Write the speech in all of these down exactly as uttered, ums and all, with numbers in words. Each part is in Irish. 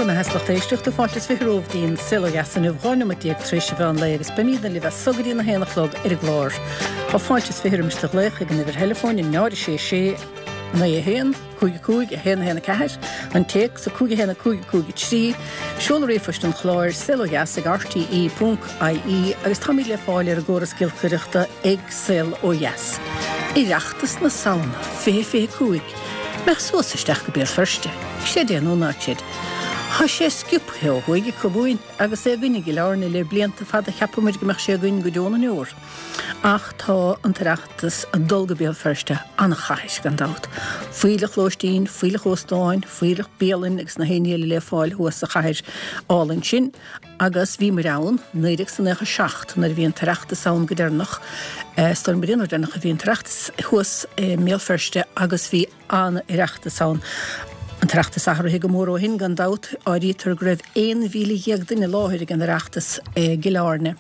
Scór na theas lucht éisteachta fáilte is fiche romhaibh go dtí an Saol Ó Dheas inniu dhá nóiméad déag tar éis an mheán lae agus beimidne libh as so go dtí a haon a chlog ar an gclár. Tá fáilte is fiche roimis do ghlaoch ag an uimhir theileafóin a náid a sé sé naoi a haon, cúig a cúig, a haon a haon a ceathair, an téacs a cúig a haon a cúig a cúig a trí, seoladh ríomhphoist an chláir saol ó dheas ag rte ponc ie agus táimid le fáil ar an gcóras giolcaireachta ag Saol Ó Dheas. Oireachtas na Samhna, fiche fiche cúig, mbeadh suas isteach go Béal Feirste, creid é nó ná creid. Tá sé sciobtha ó thuaidh acu uainn agus é againn i gCill Airne le blianta fada cheap muid go mbeadh sé againn go deo na ndeor. Ach tá an tOireachtas ag dul go Béal Feirste, an-chathair gan dabht. Fuílleach lóistín, fuílleach óstáin, fuílleach bialann agus na haon ní eile le fáil thuas sa chathair álainn sin. Agus bhíomar ann, naoi déag is nócha seacht, nuair a bhí an tOireachtas ann go deireanach, is dóigh liom gurb é an uair deireanach a bhí an tOireachtas thuas i mBéal Feirste agus bhí an-Oireachtas ann. An tOireachtas athraithe go mór ó shin, gan dabht. Áirítear go raibh aon mhíle dhéag duine i láthair ag an Oireachtas i gCill Airne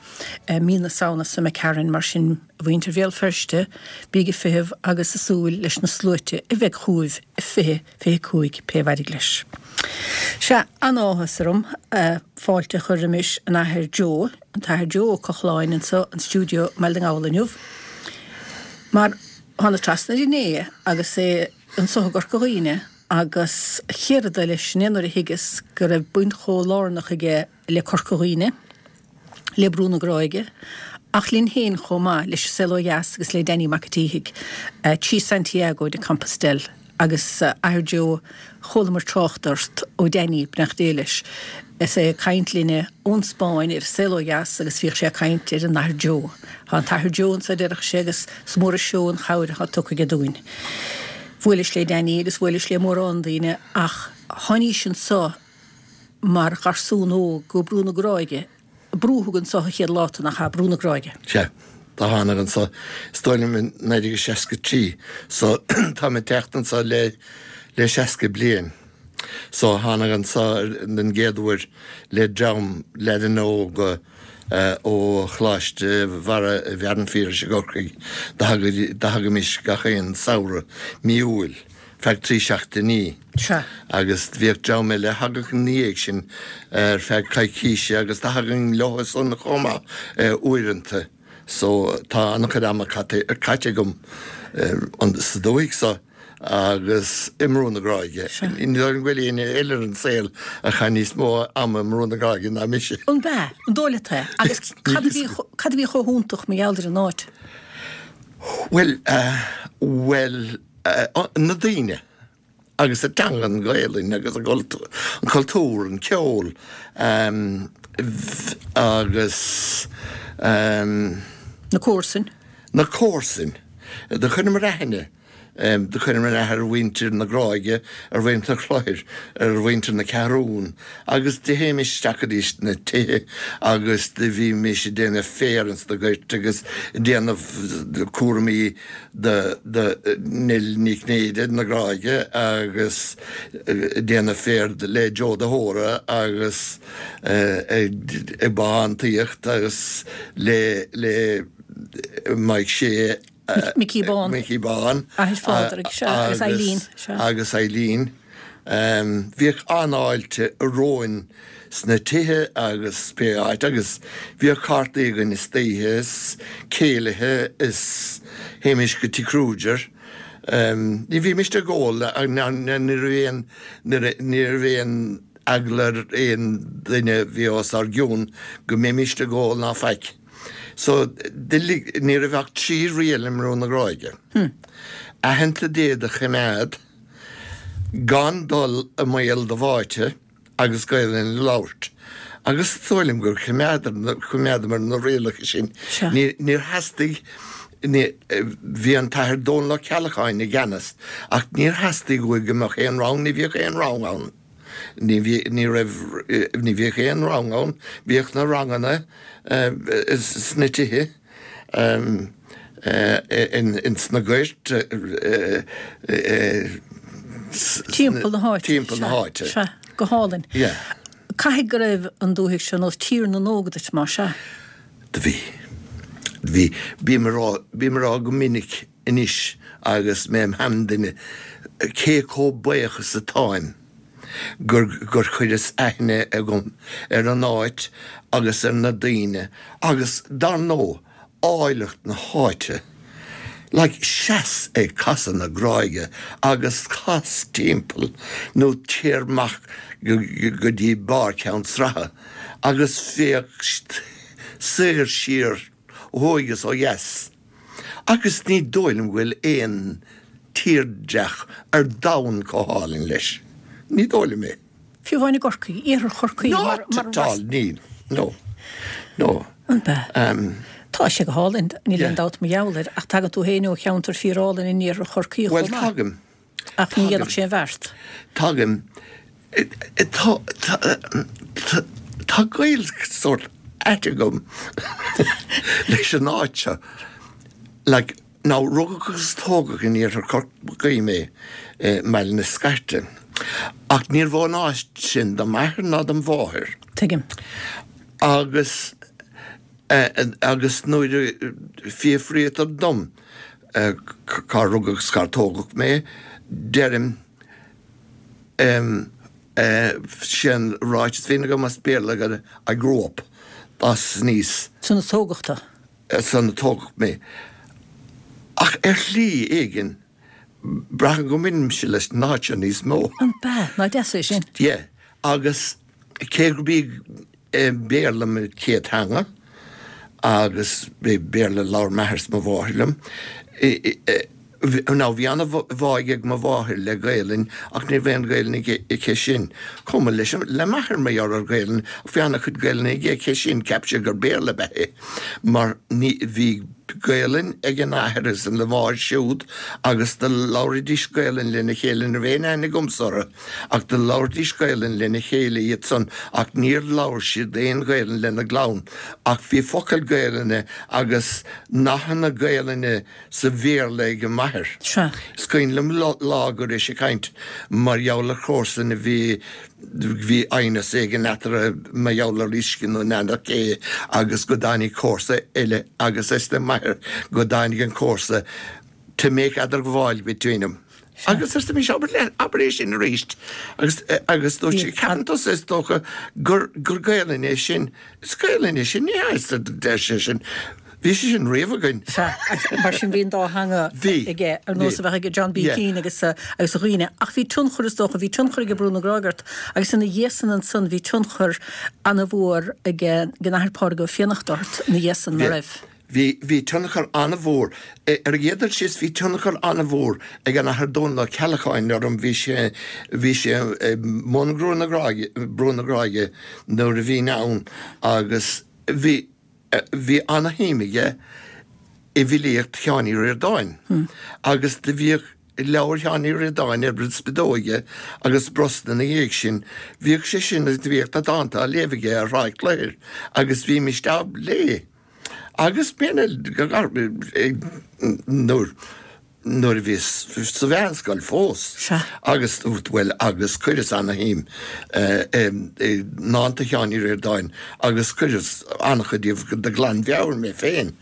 mí na Samhna seo imigh tharainn. Mar sin, a mhuintir Bhéal Feirste, bíg ag feitheamh agus ag súil leis na sluaite a bheidh chugaibh i fiche fiche cúig, pé mhairg leis. Sea, an-áthas orm fáilte a chur roimis an Athair Joe, an tAthair Joe Ó Cochláin anseo in stiúideo i mBaile na nGall inniu. Mar thánas trasna air inné agus é anseo i gCorca Dhuibhne agus céard eile leis sin é nuair a thuigeas go raibh baint chomh lárnach aige le Corca Dhuibhne, le Brú na Gráige, ach linn féin chomh maith, leis an Saol Ó Dheas agus le Danny Mac an tSíthigh, trí Santiago de Compostelle. Agus a Athair Joe, chualamar trácht ort ó Danny, beannacht Dé leis, is é ag caint linne ón Spáinn ar an Saol Ó Dheas agus bhíodh sé ag caint ar an Athair Joe. Tá an tAthair Joe anso a déarfadh sé agus is mór an seó an chabhair atá tugtha aige dúinn. Bhuailis le Danny agus bhuailis le mórán daoine ach tháinís anso mar gharsún óg go Brú na Gráige. Brúdh thú anso an chéad lá tú, nach ea? Brú na Gráige. Sea, do thánag anso, is dóigh liom i naoi déag seasca trí, so táim ag teacht anso le le seasca bliain. So thánag anso den gcéad uair le dream leaideanna óga ó Choláiste Bharra Bhfearann Phiarais i gCorcaigh, do thagaimis gach aon samhradh, mí Iúil, feadh trí seachtainí. Sea. Agus bhíodh dream eile a thagadh ina dhiaidh sin ar feadh coicíse agus do thagainn leo san chomh maith uaireanta. So tá an-chuid ama caite agam sa dúthaigh so. agus i mBrú na Gráige. Ní dóigh liom go bhfuil éinne eile ar an saol a chaith níos mó ama i mBrú na Gráige ná mise. An b'ea? An dóigh leat é? Agus cad a bhí cad a bhí chomh hiontach mar gheall ar an áit? Bhuel, bhuel, na daoine agus an teanga, an Ghaelainn agus an cultúr, an ceol agus. Na comharsain. Na comharsain. Do chuireamar aithne. Do chuireamar aithne ar mhuintir na Gráige, ar mhuintir an Chlochair, ar mhuintir na Ceathrún agus do théimis isteach go dtí na tithe agus do bhímis ag déanamh féar ins na goirt agus ag déanamh cúraimí do do Neil Ní Chinnéide na Gráige agus ag déanamh féar le Joe de hÓra agus ag bothántaíocht agus le le Mike Shea. Micí Bán. Micí Bán. Athair Phádraig, sea, agus Eileen, sea. Agus Eileen. Bhíodh an-fháilte romhainn sna tithe agus pé áit agus bhíodh cártaí againn istoíche is céilithe is théimis go Tigh Kruger. Ní bhímist ag ól ní raibh aon ní raibh aon eagla ar aon duine a bhí os ár gcionn go mbeimist ag ól ná faic. So, ní raibh ach trí riail i mBrú na Gráige. Aitheanta Dé do choimeád, gan dul i mbaol do bháite agus Gaelainn a labhairt. Agus is dóigh liom gur choimeádamar na rialacha sin. Níor theastaigh, bhí an tAthair Dónal Ó Ceallacháin i gceannas ach níor theastaigh uaidh go mbeadh aon rang, ní bhíodh aon rang ann. Ní bhí, ní raibh, ní bhíodh aon rang ann, bhíodh na ranganna sna tithe, ins na goirt, Timpeall na háite. Timpeall na háite. Sea, go hálainn. Yeah. Caithfidh go raibh an dúthaigh seo nós Tír na nÓg duit, más ea? Do bhí. Bhí. Bím a rá, bím a rá go minic anois agus mé im sheanduine cé chomh buíoch is atáim gur gur chuireas aithne agam ar an áit agus ar na daoine agus dar ndóigh áilleacht na háite. Like seas ag Casadh na Gráige agus cas timpeall nó téir amach go go dtí barr Cheann Sraithe agus féach soir siar ó thuaidh is ó dheas. Agus ní dóigh liom go bhfuil aon tírdhreach ar domhan chomh hálainn leis. Ní dóigh liom é. Fiú amháin i gCorcaigh, iarthar Chorcaí mar Not at all, níl. No. No. An bea? Um, Tá sé go hálainn, níl Yeah. aon dabht mar gheall air, ach tagann tú féin ó cheantar fíorálainn in iarthar Chorcaí Well, chomh maith. tagaim. Ach ní dhéanfadh sé an bheart. Tagaim. Tá tá tá gaol sórt ait agam leis an áit seo. Like, now, rugadh agus tógadh in iarthar Chorcaí mé i mBaile na Scairte. Ach níorbh ón áit sin do m'athair ná do mháthair. Tuigim. Agus eh, agus nuair a fiafraítear dom eh, cá rugadh agus cár tógadh mé, deirim um, eh, sin ráiteas féin agam as Béarla go I grew up as níos San a tógadh tú. san a tógadh mé. Ach ar shlí éigin braithim go mbaineann leis an áit seo níos mó. An bea, nach deas é sin. Yeah. Agus cé gurb é Béarla mo chéad teanga agus bé Béarla labhair m'athair is mo mháthair liom. Ná bhí an-bhá ag mo mháthair le Gaelainn ach ní raibh aon Ghaelainn aici sin. Chomh maith leis le m'athair mar gheall ar Ghaelainn, bhí an-chuid Gaelainn aige aici sin cheap sé gur Béarla ba é. Mar ní bhí Gaelainn ag an athair is an mháthair siúd agus do labhraídís Gaelainn lena chéile ní raibh aon aithne agamsa orthu, ach do labhraídís Gaelainn lena chéile iad san ach níor labhair siad aon Ghaelainn lena gclann, ach bhí focail Gaelainne agus nathanna Gaelainne sa Bhéarla ag an m'athair. Sea. Is cuimhin liom lá go raibh sé ag caint mar gheall ar chomharsan a bhí bhí aighneas éigin eatarthu mar gheall ar uisce nó n'fheadar cé agus go dtáinig comharsa eile agus arsa m'athair go dtáinig an comharsa to make eadarghabháil between them. Agus arsa mise abair le abair é sin arís agus agus dúirt sé ceapann tusa is dócha gur gur Gaelainn é sin is Gaelainn é sin ní deir sé sin. Bhí sé sin riamh againn. Sea, mar sin bhí an dá theanga Bhí. aige ar nós a bheith ag John B. Yeah. Keane agus uh, agus a dhaoine. Ach bhí tionchar is dócha, bhí tionchar ag Brú na Gráige ort, agus ina dhiaidh san ansan bhí tionchar an-mhór ag an Athair Pádraig Ó Fiannachta ort ina dhiaidh san mar raibh. Bhí bhí tionchar an-mhór ar an gcéad dul síos bhí tionchar an-mhór ag an Athair Dónall Ó Ceallacháin orm bhí sé bhí sé i mbun Brú na Gráige Brú na Gráige nuair a bhínn ann agus bhí bhí an-shuim aige i bhfilíocht Sheáin Uí Ríordáin. Agus do bhíodh leabhar Sheáin Uí Ríordáin ar bord spideoige agus brosna na dhiaidh sin, bhíodh sé sin agus bhíodh na dánta á léamh aige ar Thráigh Chlochair agus bhímis á léamh. Agus b'in nuair nuair a bhíos sa mheánscoil fós. Sea. Agus well agus chuireas an-shuim i ndánta Sheáin Uí Ríordáin agus chuireas an-chuid díobh de ghlanmheabhair mé féin.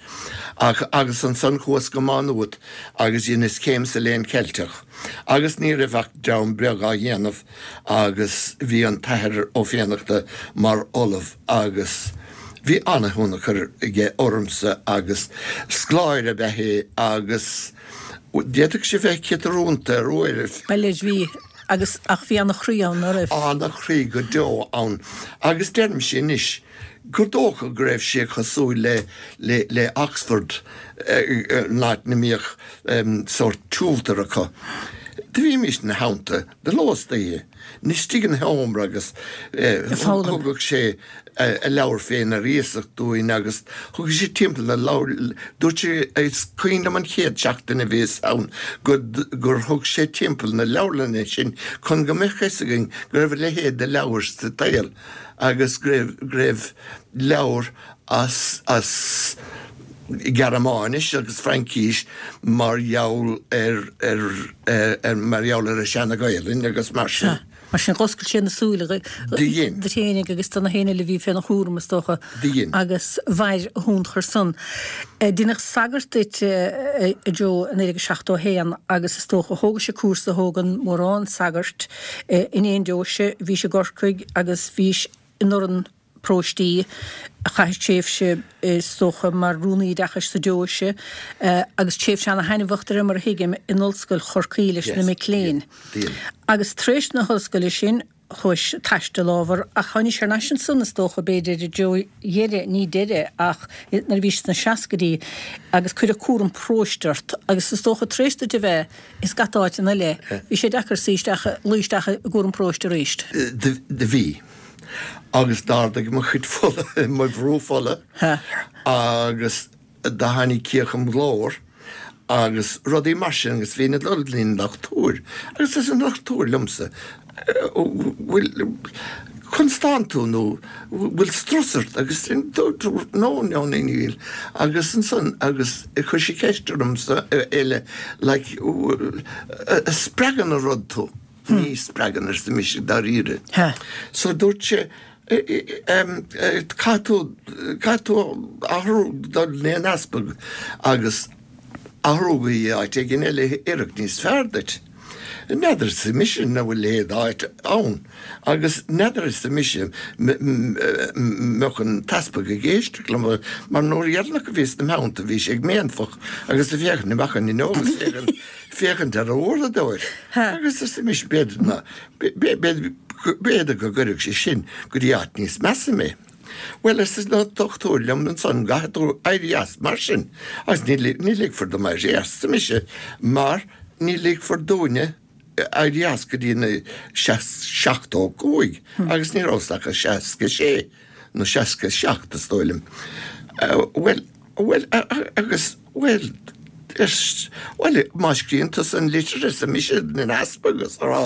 Ach agus ansan chuas go Má Nuad agus dheineas céim sa léann Ceilteach. Agus ní raibh ach dream beag á dhéanamh agus bhí an tAthair Ó Fiannachta mar ollamh agus bhí an-thionchar aige ormsa agus scoláire ba ea é agus d'fhéadfadh sé bheith ciotrúnta ar uairibh. Bhuel bhí agus ach bhí an-chroí ann nach raibh. An-chroí go deo ann. Agus deirimse anois gur dócha go raibh sé cosúil le le le Oxford an áit ina mbíodh sórt tutor acu. Do bhímis ina theannta de ló is d'oíche. Istigh ina sheomra agus thugadh sé a leabhar féin ar iasacht dúinn agus thugadh sé timpeall na leabhar dúirt sé is cuimhin liom an chéad seachtain a bhíos ann gur gur thug sé timpeall na leabharlainne sin chun go mbeadh fhios againn go raibh a leithéid de leabhar sa tsaol agus go raibh go raibh leabhar as as Gearmáinis agus Fraincis mar gheall ar ar ar mar gheall ar an seana-Ghaelainn agus mar sin. Mar sin dh'oscail sé na súile Do dhein. duit fhéinig agus do na héinne eile a bhí féna chúram is dócha. Do dhein. Agus mhair a thionchar san. Deineadh sagart duit, a Joe, i naoi déag seachtó a haon agus is dócha thógais an cúrsa a thógann mórán sagart in aon deoise. Bhís i gCorcaigh agus bhís in urrann paróistí, chaithis tréimhse is dócha mar rúnaí oideachais sa deoise agus tréimhse ana-thaitneamhach de réir mar a thuigim in Ollscoil Chorcaí leis na mic léinn. Agus tar éis na hollscoile sin chuais ag taisteal ábhar ach tháinís thar n-ais ansan is dócha b'fhéidir i dtreo dheireadh, ní deireadh ach nuair a bhís sna seascaidí agus cuireadh cúram paróiste ort agus is dócha tar éis duit a bheith i scata áiteanna eile bhí sé deacair suí isteach, luí isteach i gcúram paróiste arís. Do bhí. Agus d'ardaigh mo chuid fola, mo bhrú fola agus do tháinig ciach im ghlór agus rudaí mar sin agus bhínn ag dul go dtí an dochtúir agus arsa an dochtúir liomsa, bhfuil, conas tánn tú nó bhfuil strus ort agus dúirt no, no, níl agus ansan agus chuir sé ceist ormsa eile like, spreagann an rud tú? Ní spreagann, arsa mise dáiríre. So dúirt sé, caithfidh tú, caithfidh tú athrú dul go dtí an easpag agus athrú go dtí áit éigin eile a oirfeadh níos fearr duit. N'fheadar, arsa mise, an bhfuil a leithéid d'áit ann agus n'fheadar, arsa mise, mbeadh an t-easpag ag éisteacht liom mar an uair dheireanach a bhíos ina theannta bhí sé ag méanfach agus ag féachaint amach an fhuinneog agus féachaint féachaint ar an uaireadóir. Agus arsa mise, b'fhéidir ná, b'fhéidir go gcuirfeadh sé sin go dtí áit níos measa mé. Bhuel, arsa an dochtúir liom ansan, caithfidh tú éirí as mar sin. Agus ní, ní ligfear dom éirí as, arsa mise, mar ní ligfear dúinne éirí as go dtí na seachtó cúig agus ní rabhas ach a seasca sé nó seasca seacht, is dóigh liom. Bhuel, Bhuel, agus, bhuel, bhuel, má scríobhann tusa an litir, arsa mise don easpag agus a rá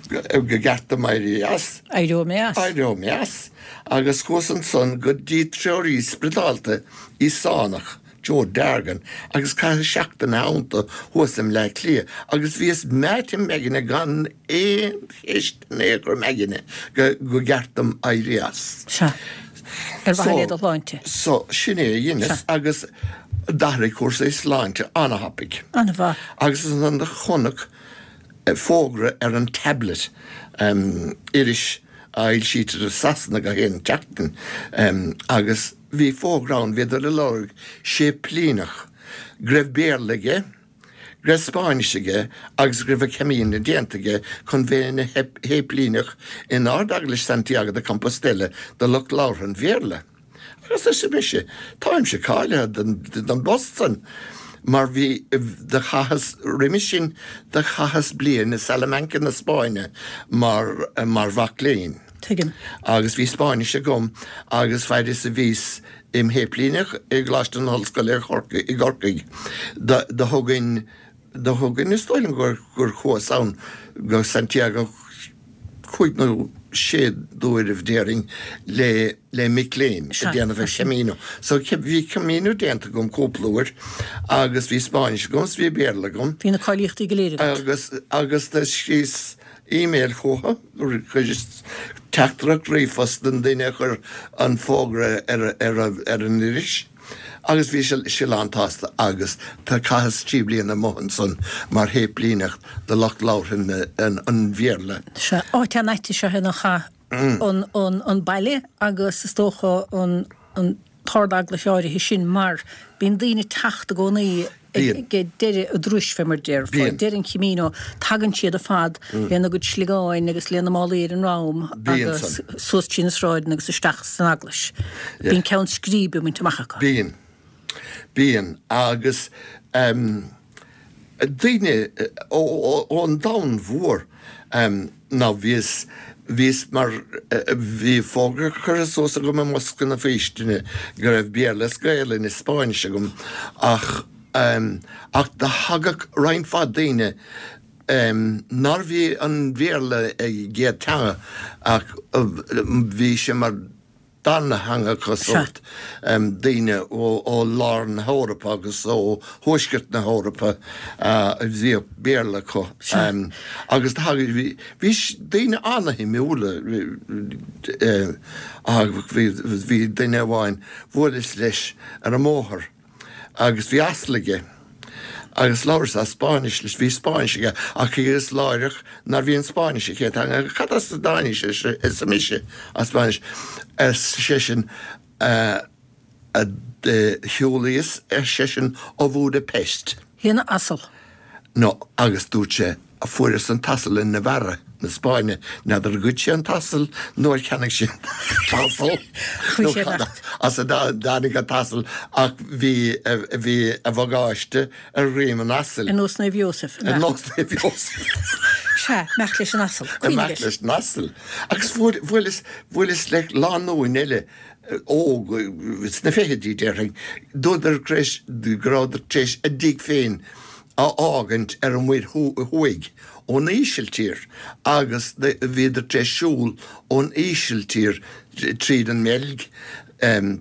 go gceart dom éirí as. Éireoidh mé as. Éireoidh mé as. Agus chuas ansan go dtí treoraí spioradálta Íosánach, Joe Dargan, agus chaitheas seachtain ina theannta thuas i mBleá Cliath agus bhíos meáite im aigne gan aon cheist in aon chor im aigne go gceart dom éirí as. Sea. Ar mhaithe le do shláinte. So, sin é a dheineas agus d'athraigh cúrsaí sláinte an-thapaidh. An-mhaith. Agus ansan do chonac fógra ar an Tablet, iris a fhoilsítear i Sasana gach aon tseachtain, agus bhí fógra ann, bhíodar ag lorg séiplíneach go raibh Béarla aige, go raibh Spáinnis aige agus go raibh an Camino déanta aige chun bheith ina shéiplíneach in Ard-Eaglais Santiago de Compostela do lucht labhartha an Bhéarla. Agus arsa mise, táimse cáilithe don bpost san, mar bhí, do chaitheas, roimis sin, do chaitheas bliain i Salamanca na Spáinne mar, mar mhac léinn. Tuigim. Agus bhí Spáinnis agam agus fad is a bhíos im shéiplíneach i gColáiste na hOllscoile i gCorcaigh, do thugainn, do thugainn, is dóigh liom gur, gur chuas ann go Santiago cúig nó sé d'uairibh déarfainn le, le mic léinn ag déanamh an Camino. So bhí Camino déanta agam cúpla uair agus bhí Spáinnis agam is bhí Béarla agam. Bhí na cáilíochtaí go léir agat. Agus, agus do scríos email chucu, chuireas teachtaireacht ríomhphost don duine a chuir an fógra ar an iris agus bhí sé lán tsásta agus do chaitheas trí bliana amuigh ansan mar shéiplíneach do lucht labhartha an Bhéarla. Sea, áit an-ait is ea é nach ea an baile agus is dócha an t-ardeaglais áirithe sin mar bíonn daoine ag teacht i gcónaí ag deireadh an turais fé mar déarfá, deireadh an Chamino, tagann siad ar fad lena gcuid sliogáin agus lena málaí ar a ndroim agus suas trí na sráideanna agus isteach san eaglais. Bíonn ceann scríbe bainte amach acu. Bíonn. Bíonn. Agus daoine ón domhan mhór ná bhíos, bhíos mar, bhí fógra curtha suas agam i mbosca na faoistine go raibh Béarla is Gaelainn is Spáinnis agam ach, ach do thagadh roinnt mhaith daoine nárbh í an Bhéarla a gcéad teanga ach bhí sé mar darna theangacha sórt daoine ó lár na hEorpa agus ó thuaisceart na hEorpa a bhíodh Béarla acu. Agus bhí daoine ana-shuimiúla, bhí duine amháin, bhuaileas leis ar an mbóthar agus bhí asal aige agus labhras as Spáinnis leis, bhí Spáinnis aige ach thuigeas láithreach nárbh í an Spáinnis a chéad teanga. Cad as a dtáinig sé, arsa mise, as Spáinnis, ar seisean, shiúlaíos, ar seisean, ó Bhúdaipeist. Lena asal. No, agus dúirt sé, fuaireas an t-asal i Navarra na Spáinne, n'fheadar ar ghoid sé an t-asal nó ar cheannaigh sé an t-asal nó cad as a dtáinig an t-asal ach bhí bhí a bhagáiste ar dhroim an asail. Ar nós Naomh Iósaf. Ar nós Naomh Iósaf. Sea, imeacht leis an asal. Imeacht leis an asal. Agus bhuaileas bhuaileas le lánúin eile óg sna fichidí déarfainn, dúradar go rabhadar tar éis a dtigh féin a fhágaint ar an Mhuir Thuaidh ón Ísiltír agus bhíodar tar éis siúl ón Ísiltír tríd an mBeilg,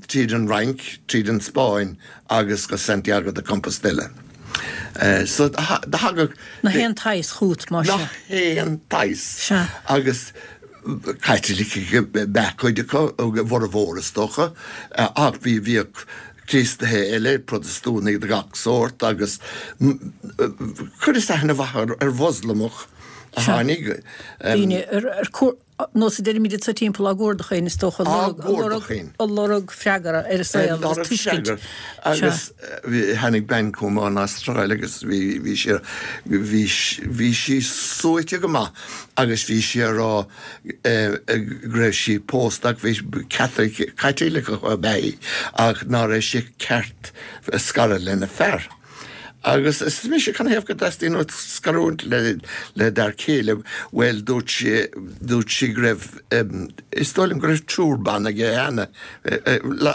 tríd an Fhrainc, tríd an Spáinn agus go Santiago de Compostela. So do thagadh. Nach aon tsaghas chugat, más ea. Nach aon tsaghas. Sea. Agus Caitlicigh ab ea cuid acu, a bhformhór is dócha, ach bhí, bhíodh Críostaithe eile, Protastúnaigh de gach sórt agus chuireas aithne mhaith ar Mhoslamach a tháinig. Daoine ar nós a deirimid anseo timpeall á gcuardach féin, is dócha, Á gcuardach féin. ag lorg freagra ar a saol agus tuiscint. Agus tháinig bean chugam ón Astráil agus bhí bhí sí bhí bhí sí suaite go maith agus bhí sí ag rá go raibh sí pósta ach bhí Caitliceach ab ea í ach ná raibh sé ceart scaradh lena fear. Agus arsa mise, canathaobh go dteastaíonn uait scarúint le le d'fhear céile? Bhuel, dúirt sí, dúirt sí go raibh, is dóigh liom go raibh triúr ban aige cheana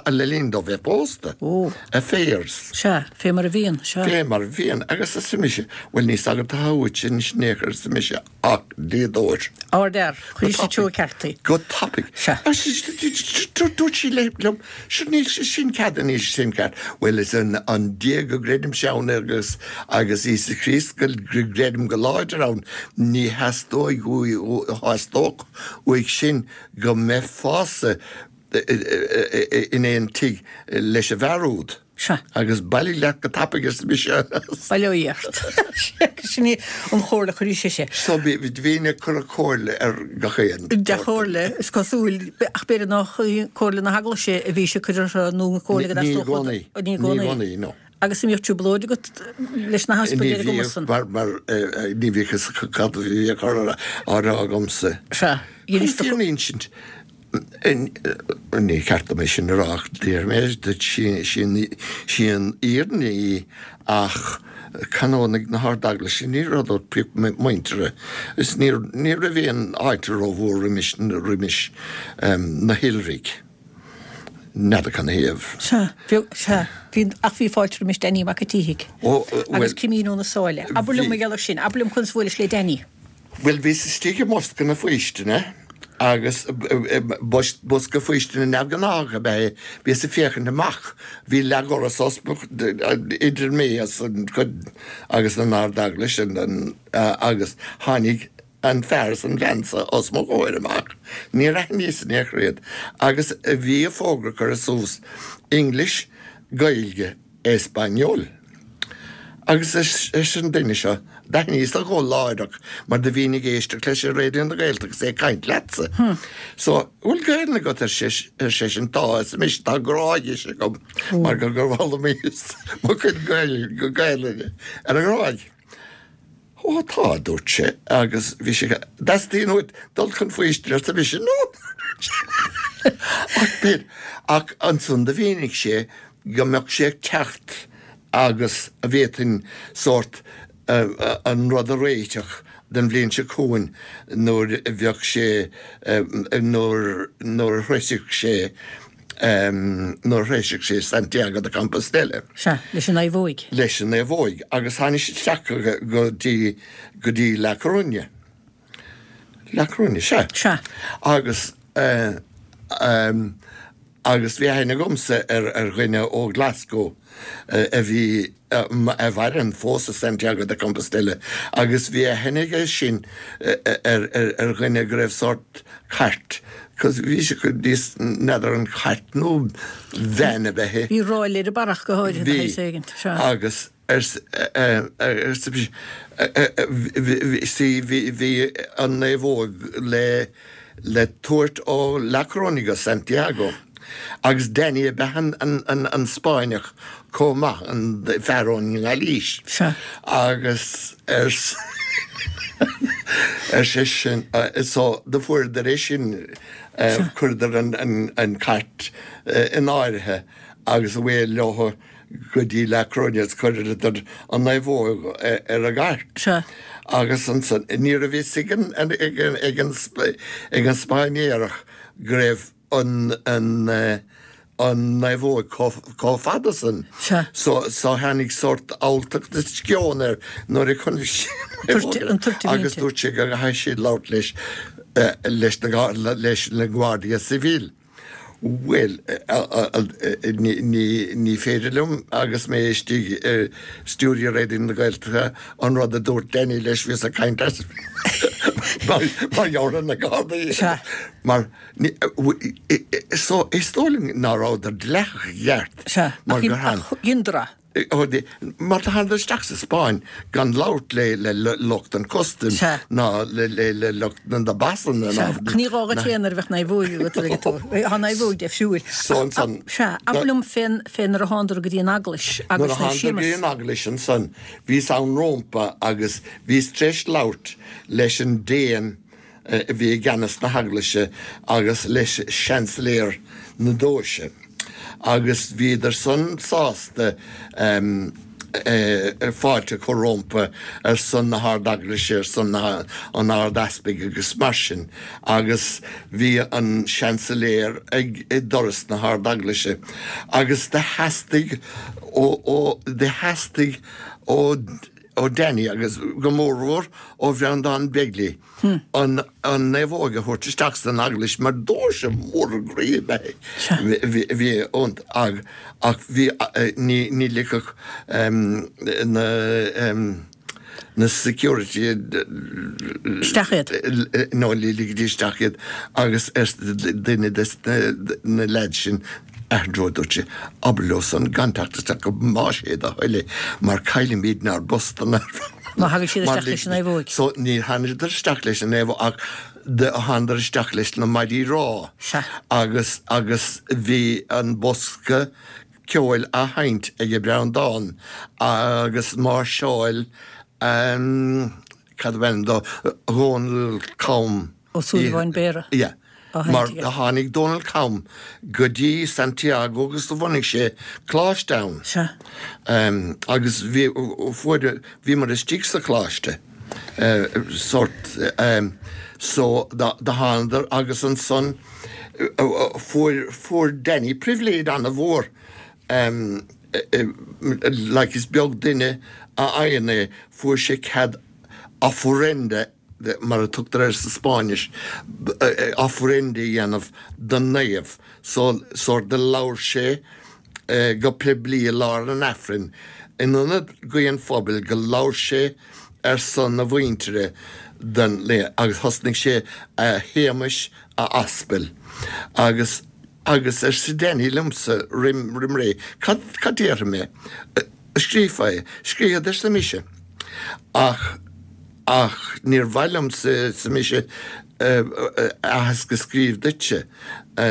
le linn dó bheith pósta. Ó. Affairs. Sea, fé mar a bhíonn, sea. Fé mar a bhíonn. Agus arsa mise, bhuel, ní sagart atá uait anois in aon chor, arsa mise, ach dlíodóir. Ardfhear. Chuir sí treo ceart í. Go tapaidh. Sea. Dúirt sí liom, sure níl sé sin cead, níl sé sin ceart. Bhuel, is an an Dia go gcreidimse ann agus agus Íosa Críost go gcreidim go láidir ann, ní theastóidh uaidh, theastódh uaidh sin go mbeifeása in aon tigh leis an bhfear úd. Sea. Agus bailigh leat go tapaidh, arsa mise. Bail ó Dhia ort. Sin í an chomhairle a chuir sise. So bhínn ag cur comhairle ar gach aon. Dea-chomhairle, is cosúil, ach b'fhéidir nach í comhairle na hEaglaise a bhí sí ag cur orthu nó an comhairle go Ní i gcónaí. Ní i gcónaí. Ní i gcónaí, no. Agus an mbíodh trioblóid agat leis na heaspaig ar an gcuma san? Ní bhíodh, mar ní bhíodh fhios acu cad a bhí á chur á rá agamsa. Sea. Chun fírinne a insint, Ní ceart dom é sin a rá ach déarfaidh mé duit, sí an fhírinne í ach canónaigh na hArd-Eaglaise, ní rabhadar pioc muinteartha is ní raibh aon fháilte rómhór roimis roimis na hiolraigh. N'fheadar canathaobh. Sea, bhí, sea, bhí, ach bhí fáilte roimis Danny Mac a' tSíthigh. Ó, bhuel. Agus Cimín Ó na Sáile. Abair liom mar gheall air sin, abair liom conas a bhuailis le Danny. Bhuel, bhíos istigh i mbosca na faoistine agus bosca faoistine neamhghnách ab ea é. Bhíos ag féachaint amach, bhí leathdhoras idir mé agus an chuid agus an Ard-Eaglais agus tháinig an fear is an bhean so os mo chomhair amach. Níor aithníos in aon chor iad agus bhí an fógra curtha suas, English, Gaeilge, Español. Agus arsa an duine seo, d'aithníos a ghuth láithreach mar do bhínn ag éisteacht leis ar Raidió na Gaeltachta agus é ag caint leatsa. So, bhfuil Gaelainn agat ar seisean, tá, arsa mise, tá Gráigis agam mar gur fhoghlaimíos mo chuid Gaelainne ar an nGráig. Ó tá, a dúirt sé, agus bhí sé, dteastaíonn uait dul chun faoistine, arsa mise, no! Ach b'in, ach ansan do mhínigh sé go mbeadh sé ag teacht agus a bhféadfainn sórt an rud a réiteach don bhliain seo chugainn nuair a bheadh sé, nuair, nuair a shroisfeadh sé nuair a shroisfeadh sé Santiago de Compostela. Sea, leis an naomhóig. Leis an naomhóig. Agus tháinig sé isteach go dtí, go dtí La Coruña. La Coruña, sea. Sea. Agus Agus bhí aithne agamsa ar ar dhuine ó Glasgow a bhí a mhaireann fós i Santiago de Compostela agus bhí aithne aige sin ar ar dhuine go raibh sórt cairt cos bhí sé níos n'fheadar an cairt nó veain ab ea é. Bhí ráille ar an barrach go háirithe de shaghas éigin. Bhí agus arsa see bhí bhí an naomhóg le le tabhairt ó La Coruña go Santiago. Agus Danny ab ea an Spáinneach chomh maith, an fear ón nGailís. Sea. Agus ar seisean, so do fuaireadar é sin, chuireadar an cairt in áirithe agus away leo go dtí La Coruña agus chuireadar an naomhóg ar an gcairt. Sea. Agus ansan, ní raibh fhios ag an Spáinnéarach go raibh an an an naomhóg chomh fada san. Sea. So so tháinig sórt alltacht is sceon air nuair a chonaic sé an naomhóg agus dúirt sé go gcaithfidh sé labhairt leis leis na leis na Guardia Civil. Bhuel, ní ní ní féidir liom agus mé istigh ar stiúideo Raidió na Gaeltachta an rud a dúirt Danny leis bhíos ag caint as mar gheall ar na Gardaí. Sea. Mar so is dóigh liom ná rabhadar dleathach i gceart. Sea, mar gur tháin. Gindra. Mar do thánadar isteach sa Spáinn gan labhairt le le lucht an custaim ná le le lucht na bpasanna ná. Ach ní gá duit féin nuair a bheadh naomhóg agat ag tú. Tá naomhóg deifriúil. So ansan. Sea, abair liom fén fé nuair a thánadar go dtí an eaglais agus na Nuair a thánadar go Séamus. dtí an eaglais ansan bhíos ann rómpa agus bhíos tar éis labhairt leis an Déan a bhí i gceannas na heaglaise agus leis seansailéir na deoise agus bhíodar san sásta fáilte a chur rómpa ar son na hArd-Eaglaise, ar son an Ard-Easpaig agus mar sin agus bhí an seansailéir ag doras na hArd-Eaglaise agus do theastaigh ó, do theastaigh ó ó Danny agus go mórmhór ó Bhreandán Begley an an naomhóg a thabhairt isteach san eaglais mar doirse mór groí ab ea é. Bhí iontach ach ach bhí ní ní ligfeadh na na security Isteach iad. No ní ligfidís isteach iad agus arsa duine des na leaids sin Andrew, dúirt sé, abair leo san gan teacht isteach go más é do thoil é mar caillfimidne ár bpostanna Má thagann siad isteach leis an naomhóig. So níor thánadar isteach leis an naomhóg ach do thánadar isteach leis na maidí rámha. Sea. Agus agus bhí an bosca ceoil á sheinnt ag Breandán agus máirseáil cad ab ainm dó, Dhónal Cam. Ó Súilleabháin Béarra. Yeah. Mar do tháinig Dónal Cam go dtí Santiago agus do bhunaigh sé coláiste ann. Sea. Agus bhí, fuair, bhíomar istigh sa choláiste, sórt, so do thánadar agus ansan fuair, fuair Danny pribhléid ana-mhór, like is beag duine a fhaigheann é, fuair sé cead ofrenda mar a tugtar air sa Spáinnis, ofrenda a dhéanamh don naomh. So, sórt do labhair sé go poiblí i lár an Aifrinn, in ionad guí an phobail, go labhair sé ar son a mhuintire don naomh agus thosnaigh sé A Shéamais a Aspail agus agus arsa Danny liomsa roim roim ré, cad cad déarfaidh mé? Scríofá é. Scríobhad arsa mise. Ach. Ach níor mhaith liomsa, arsa mise, aitheasc a scríobh duitse,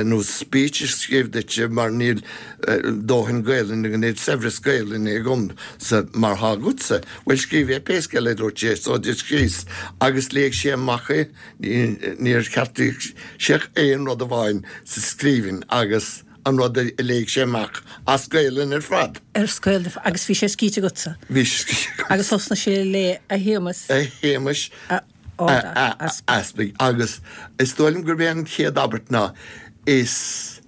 nó speech a scríobh duitse, mar níl dóthain Gaelainne, níl saibhreas Gaelainne agamsa mar thá agatsa. Bhuel, scríobh é pé scéal é, a dúirt sé, so do scríos, agus léigh sé amach é, níor cheartaigh sé ach aon rud amháin sa scríbhinn, agus. an rud a léigh sé amach as Gaelainn ar fad. As Gaelainn, agus bhí sé scríte agatsa. Bhí sé scríte agamsa. Agus thosnaigh sé ag léamh a Shéamais. A Shéamais a Ard-Easpaig. Agus is dóigh liom gurb é an chéad abairt ná is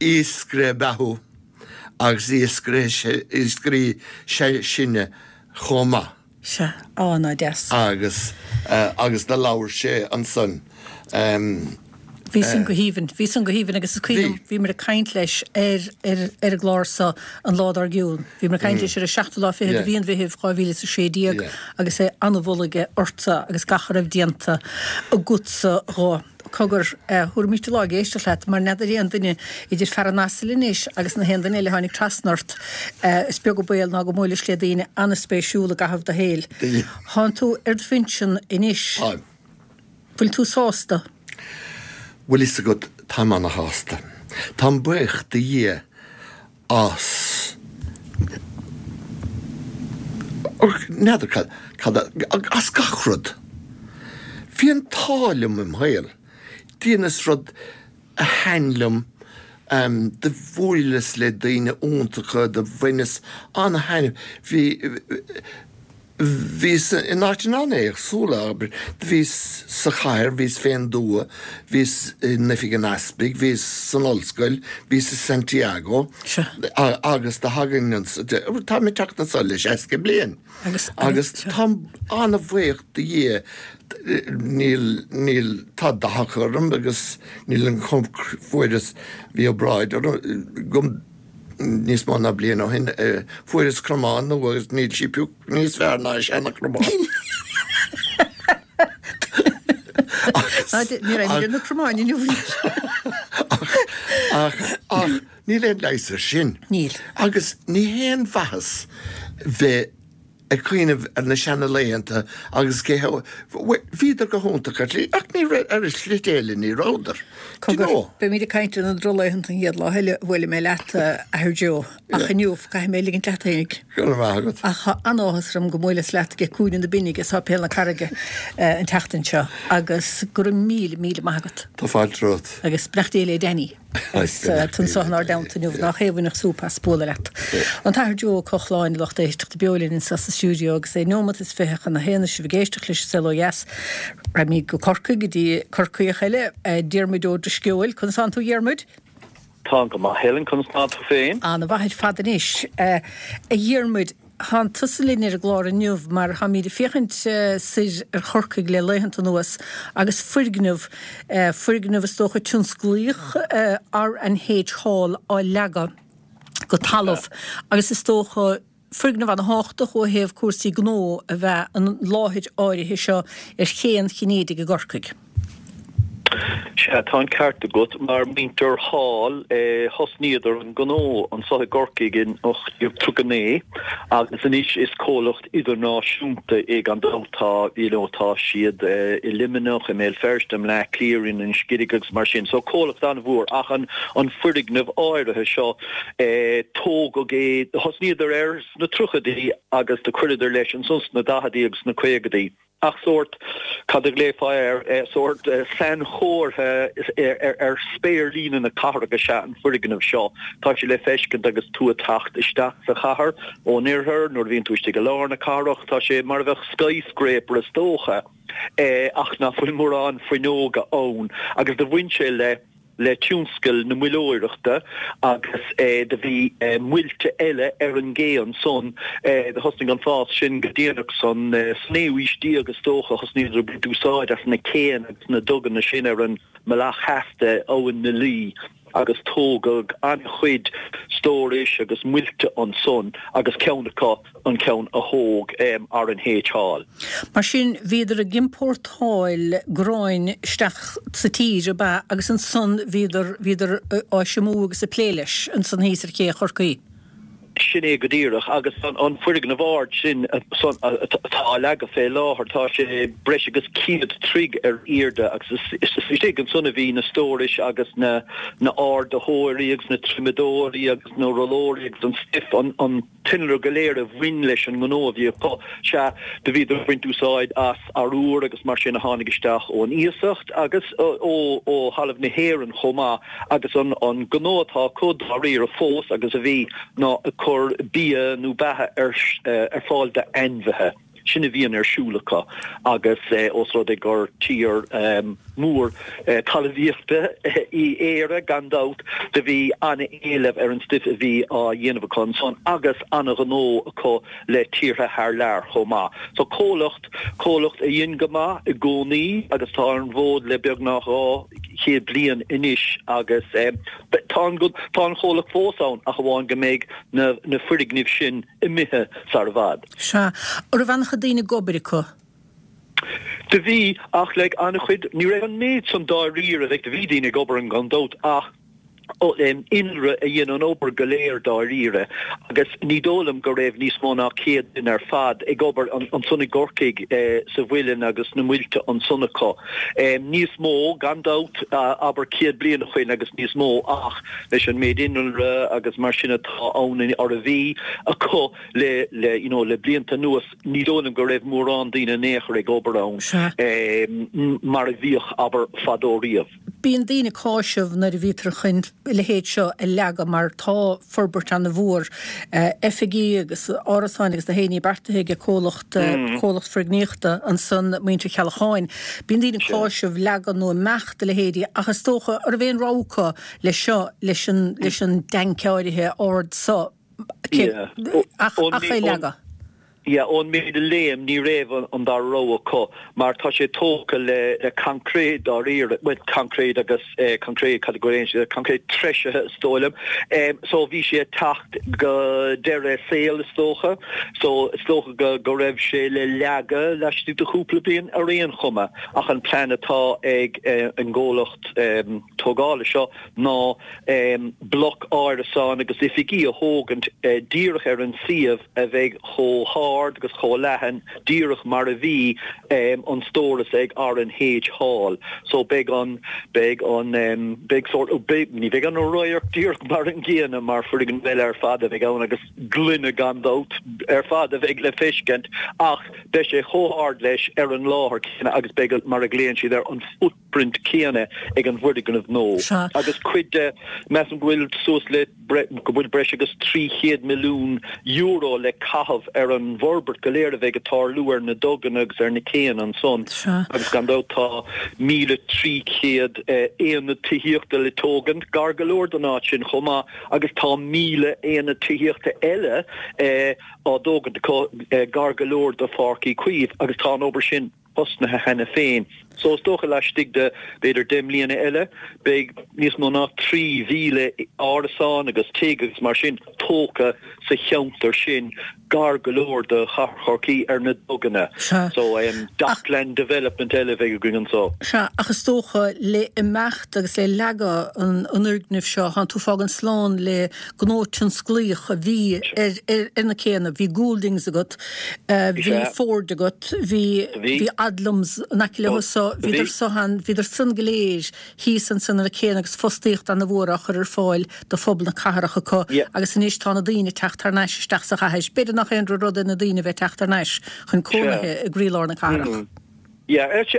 iascaire ab ea thú agus iascaire is ea sinne chomh maith. Sea, á, ná deas. Agus, agus do labhair sé ansan. Bhí san go haoibhinn, bhí san go haoibhinn agus is cuimhin liom, bhíomar ag caint leis ar ar ar an gclár so an lá dár gcionn. Bhíomar ag caint leis ar an seachtú lá fichead de mhí an Mheithimh dhá mhíle is a sé déag agus é an-mholadh aige ortsa agus gach a raibh déanta agatsa dhó. Cogar, thabharfaimis an lá ag éisteacht leat mar n'fheadar aon duine idir fear an asail anois agus na haon duine eile a tháinig trasna ort, is beag an baol ná go mbuailis le daoine an-spéisiúla i gcaitheamh do shaoil. Thánn tú ar do phinsean anois. Táim. Bhfuil tú sásta? Bhfuil fhios agat, táim ana-shásta. Táim buíoch do Dhia as, n'fheadar cad, cad, as gach rud. Bhí an t-ádh liom im shaol. Dheineas rud a thaitin liom, do bhuaileas le daoine iontacha, do bhaineas ana-thaitneamh. Bhí. Bhíos in áiteanna an-éagsúla, abair. Bhíos sa chathair, bhíos fén dtuath, bhíos in oifig an easpaig, bhíos san ollscoil, bhíos i Santiago agus do thagainn anso, táim ag teacht anso le seasca bliain agus táim an-bhuíoch do Dhia, níl, níl, tá dathach orm agus níl an chuma, fuaireas, bhí obráid orm, go. Níos mó ná bliain ó shin, fuaireas cromán nua agus níl sí pioc níos fearr ná an seana-chromán. Ní raibh mé ar na cromáin inniu. Ach, ach, níl aon leigheas air sin. Níl. Agus ní haon mhaitheas bheith ag cuimhneamh ar na seana-laethanta agus cé h-, bhuel, bhíodar go hiontach ar shlí, ach ní raibh, ar shlite eile ní rabhadar. Do you Cogar, know? beimid ag caint ar na drochlaethanta an chéad lá eile a bhuailfidh mé leat, a Athair Joe, ach inniu, caithfidh mé ligint leat fhéinig. Go raibh maith agat. Ach tá an-áthas orm go mbuaileas leat ag Cúinne na Binne ag Séipéal na Carraige an tseachtain seo agus go raibh míle, míle maith agat. Tá fáilte romhat. Agus beannacht Dé le Danny. Agus tú anso inár dteannta inniu, nach é a bhainfeadh súp as bualadh leat. An tAthair Joe Ó Cochláin, a lucht éisteachta, beo linn anso sa stiúideo agus é neomat is fiche chun a haon is sibh ag éisteacht leis an Saol Ó Dheas. Raghaimid go Corcaigh, go dtí Corcaíoch eile, Diarmuid Ó Drisceoil. Conas tánn tú, a Dhiarmuid? Táim go maith, Helen, conas tá tú féin? Ana-mhaith ar fad anois. A Dhiarmuid, Thánn tusa linn ar an gclár inniu mar táimid ag féachaint soir ar Chorcaigh le laethanta anuas agus foirgneamh, foirgneamh is dócha tionsclaíoch, R and H Hall á leagadh go talamh agus is dócha foirgneamh ana-thábhachtach ó thaobh cúrsaí gnó ab ea an láthair áirithe seo ar Ché an Chinnéidigh i gCorcaigh. Sea, tá an ceart agat. Mar muintir Hall, thosnaíodar an gnó anso i gCorcaigh in ocht déag tríocha naoi agus anois is comhlacht idirnáisiúnta é gan dabht. Tá, you know, tá siad i Luimneach, i mBéal Feirste, i mBleá Cliath, in Inis Giric agus mar sin. So comhlacht an-mhór ach an an foirgneamh áirithe seo, tógadh é, thosnaíodar air sna tríochaidí agus do chuireadar leis ansan sna daicheadaí agus sna caogaidí. Ach sórt, cad a ghlaofá air, sórt sainchomhartha ar spéirlíne na cathrach is ea an foirgneamh seo. Tá sé le feiscint agus tú ag teacht isteach sa chathair ón oirthear, nuair a bhíonn tú istigh i lár na cathrach. Tá sé mar a bheadh skyscraper is dócha, ach ná fuil mórán fuinneoga ann. Agus do bhain sé le. le tionscal na muilleoireachta agus do bhí muilte eile ar an gcé ansan. Do thosnaigh an fás sin go déanach san naoú haois déag is dócha. Thosnaíodar ag baint úsáid as na céanna agus na duganna sin ar an mbealach theas de Abhainn na Laoi agus tógadh an-chuid stórais agus muilte ansan agus ceann acu an ceann a thóg R and H Hall. Mar sin, bhíodar ag iompórtáil gráin isteach sa tír, ab ea, agus ansan bhíodar, bhíodar á thriomú agus ag plé leis ansan thíos ar ché Chorcaí. Sin é go díreach. Agus an foirgneamh ard sin atá á leagadh fé láthair, tá sé breis agus céad troigh ar airde agus is istigh ansan a bhí na stórais agus na ardaitheoirí agus na triomadóirí agus na rollóirí agus an stuif, an. t-innealra go léir a bhain leis an ngnó a bhí acu. Sea, do bhíodar ag baint úsáid as arúr agus mar sin a tháinig isteach ón iasacht agus ó thalamh na hÉireann chomh maith agus an gnó atá acu dáiríre fós agus a bhí ná ag cur bia nó beatha ar fáil d'ainmhithe. Sin a bhíonn ar siúl acu agus ós rud é gur tír mór talmhaíochta í Éire gan dabht do bhí an-éileamh ar an stuif a bhí á dhéanamh acu ansan agus an-ghnó acu le tíortha thar lear chomh maith. So comhlacht comhlacht a dhein go maith i gcónaí agus tá ar an bhfód le beagnach dhá chéad bliain anois agus tá an tá an chomhlacht fós ann ach amháin go mbeidh na na foirgnimh sin imithe sar i bhfad. Sea. An raibh an-chuid daoine ag obair acu? Do bhí, ach like an-chuid, ní raibh an méid san dáiríre, like do bhí daoine ag obair ann gan dabht ach innealra a dhein an obair go léir dáiríre agus ní dóigh liom go raibh níos mó ná céad duine ar fad ag obair ansan i gCorcaigh sa mhuileann agus sna muilte ansan acu. Níos mó gan dabht abair céad bliain ó shoin agus níos mó ach leis an méid innealra agus mar sin atá ann or a bhí acu le le you know le blianta anuas ní dóigh liom go raibh mórán daoine in aon chor ag obair ann mar a bhíodh abair fadó riamh. Bíonn daoine ag cáiseamh nuair a bhítear chun a leithéid seo a leagadh mar tá forbairt ana-mhór oifigí agus árasáin agus na haon ní beartaithe ag comhlacht comhlacht foirgníochta ansan Muintir Cheallacháin. Bíonn daoine ag cáiseamh leagadh nó imeacht a leithéidí ach is dócha an raibh aon rogha acu leis seo leis an leis an dtanc áirithe ard so ach ach é leagadh. Yeah, ón méid a léim, ní raibh an dara rogha acu mar tá sé tógtha le le coincréit dáiríre, bhuel coincréit agus coincréit, cad a ghlaonn siad air, coincréit treisithe is dóigh liom. So bhí sé ag teacht go deireadh a saoil is dócha. So is dócha go go raibh sé le leagadh laistigh de chúpla bliain ar aon chuma ach an plean atá ag an gcomhlacht tógála seo ná bloc árasán agus oifigí a thógaint díreach ar an suíomh a bheidh chomh hard agus chomh leathan díreach mar a bhí an stóras ag R and H Hall. So beidh an, beidh an, beidh sórt, beidh, ní bheidh an radharc díreach mar an gcéanna mar foirgneamh eile ar fad a bheidh ann agus gloine gan dabht ar fad a bheidh le feiscint ach beidh sé chomh hard leis ar an láthair céanna agus beidh, mar a ghlaonn siad air, an footprint céanna ag an bhfoirgneamh nua. Sea. Agus cuid de, measaim go bhfuil suas le, go bhfuil breis agus trí chéad milliún euro le caitheamh ar an bhforbairt go léir a bheidh ag tarlú ar na duganna agus ar na céanna ansan. Sea. Agus gan dabht tá míle trí chéad aonad tithíochta le tógaint gar go leor don áit sin chomh maith agus tá míle aonad tithíochta eile á dtógaint acu gar go leor do Pháirc Uí Chaoimh agus tá an obair sin tosnaithe cheana féin. So is dócha laistigh de b'fhéidir deich mbliana eile beidh níos mó ná trí mhíle árasán agus tigh agus mar sin tógtha sa cheantar sin gar go leor do chathair Chorcaí ar na duganna. Sea. So dockland development eile a bheidh againn anso. Sea, ach is dócha le imeacht agus le leagadh an fhoirgnimh seo, tánn tú ag fágaint slán le gnó tionsclaíoch a bhí ar ar na céanna, bhí Gouldings agat, bhí Ford agat, bhí bhí Odlums in aice leo so, bhíodar so an, bhíodar san go léir thíos ansan ar na céanna agus fostaíocht ana-mhór á chur ar fáil do phobal na cathrach acu agus anois tá na daoine ag teacht thar n-ais isteach sa chathair. B'fhéidir nach aon rud é na daoine a bheith ag teacht thar n-ais chun cónaithe i gcroílár na cathrach. Yeah, is